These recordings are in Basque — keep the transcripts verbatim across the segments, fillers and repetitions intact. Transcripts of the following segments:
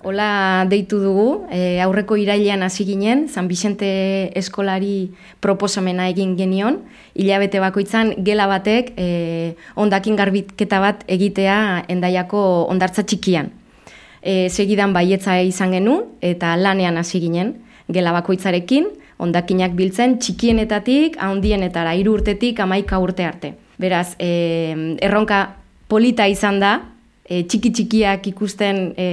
Hola deitu dugu, e, aurreko irailean hasi ginen, San Vicente eskolari proposamena egin genion, hilabete bakoitzan gela batek e, hondakin garbiketa bat egitea Hendaiako hondartza txikian. E, segidan baietza izan genuen eta lanean hasi ginen, gela bakoitzarekin, hondakinak biltzen txikienetatik, handienetara, hiru urtetik hamaika urte arte. Beraz, e, erronka polita izan da, E, txiki txikiak ikusten e,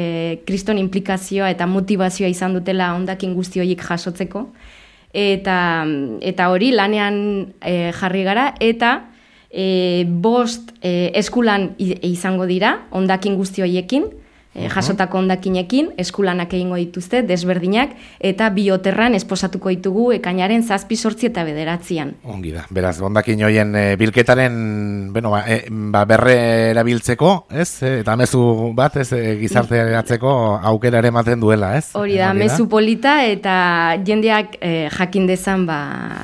kriston implikazioa eta motivazioa izan dutela hondakin guzti horiek jasotzeko. Eta, eta hori lanean e, jarri gara eta e, bost e, eskulan izango dira hondakin guzti horiekin, e, jasotako hondakinekin, eskulanak egingo dituzte, desberdinak, eta bioterran esposatuko ditugu ekainaren zazpi sortzi eta bederatzian. Ongi da, beraz, hondakin hoien e, bilketaren bueno, ba, e, ba, berre erabiltzeko, ez? E, eta mezu bat, ez, e, gizarteratzeko aukera ere ematen duela, ez? Hori da, mezu polita eta jendeak e, jakin dezan ba,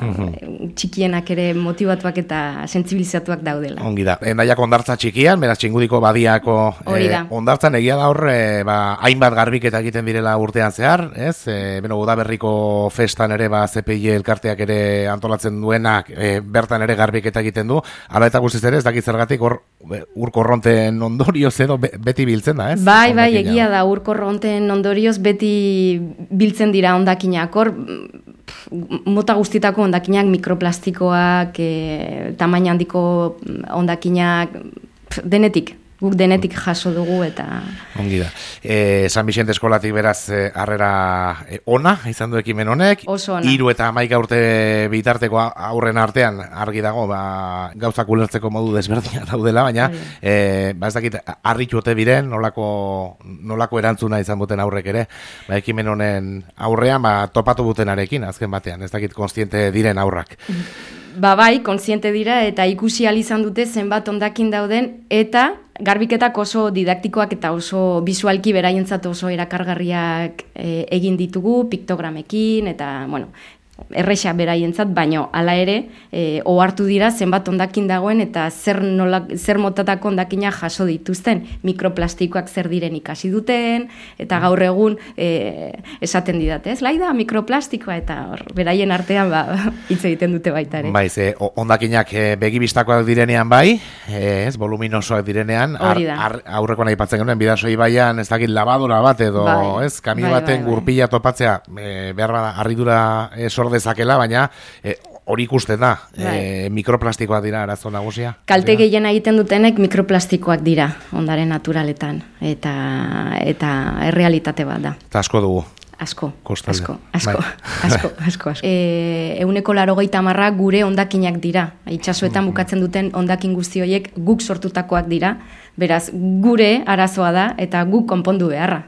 uhum. txikienak ere motivatuak eta sentsibilizatuak daudela. Ongi da, Hendaiako hondartza txikian, beraz, Txingudiko badiako e, hondartzan egia da hor, E, ba, hainbat garbiketa egiten direla urtean zehar, ez? E, beno, udaberriko festan ere, ba, Z P I elkarteak ere antolatzen duenak, e, bertan ere garbiketa egiten du, ala eta guztiz ere, ez dakit zergatik hor urkorronten ondorioz edo beti biltzen da, ez? Bai, bai, egia da, urkorronten ondorioz beti biltzen dira hondakinak, hor mota guztitako hondakinak, mikroplastikoak, e, tamaina handiko hondakinak, denetik. Guk denetik jaso dugu eta... Ongi da. E, San Vicente eskolatik beraz harrera e, ona, izan du ekimen honek. Oso ona. Hiru eta hamaika urte bitarteko aurren artean argi dago, ba, gauzak ulertzeko modu desberdina daudela, baina e, ba ez dakit, harritu ote biren, nolako, nolako erantzuna izan buten aurrek ere, ba, ekimen honen aurrean, ba, topatu butenarekin, azken batean, ez dakit konstiente diren aurrak. Ba bai, kontziente dira eta ikusi ahal izan dute zenbat hondakin dauden eta garbiketak oso didaktikoak eta oso bisualki beraientzat oso erakargarriak e, egin ditugu, piktogramekin eta, bueno, erresa beraientzat, baino hala ere e, ohartu dira zenbat hondakin dagoen eta zer, nola, zer motatako hondakina jaso dituzten, mikroplastikoak zer diren ikasi duten eta gaur egun e, esaten didate, ez? Laida mikroplastikoa eta hor, beraien artean ba, hitz egiten dute baita ere. Bai, ze hondakinak e, begibistakoak direnean bai, e, ez, voluminosoak direnean, ar, ar, aurrekoan aipatzen genuen bidasoi baian, ez dakit labadora bat edo, bai, ez, kamio bai, baten bai, gurpila topatzea, e, behar bada, harridura e, dezakela, baina e, hori ikusten da, e, mikroplastikoak dira arazo nagusia. Kalte gehien egiten dutenek mikroplastikoak dira ondare naturaletan eta eta errealitate bat da. Eta asko dugu. Asko, Kostalde. asko, asko, asko, asko, asko. E, euneko larogeita hamarra gure hondakinak dira. Itsasoetan bukatzen duten hondakin guzti horiek guk sortutakoak dira. Beraz, gure arazoa da eta guk konpondu beharra.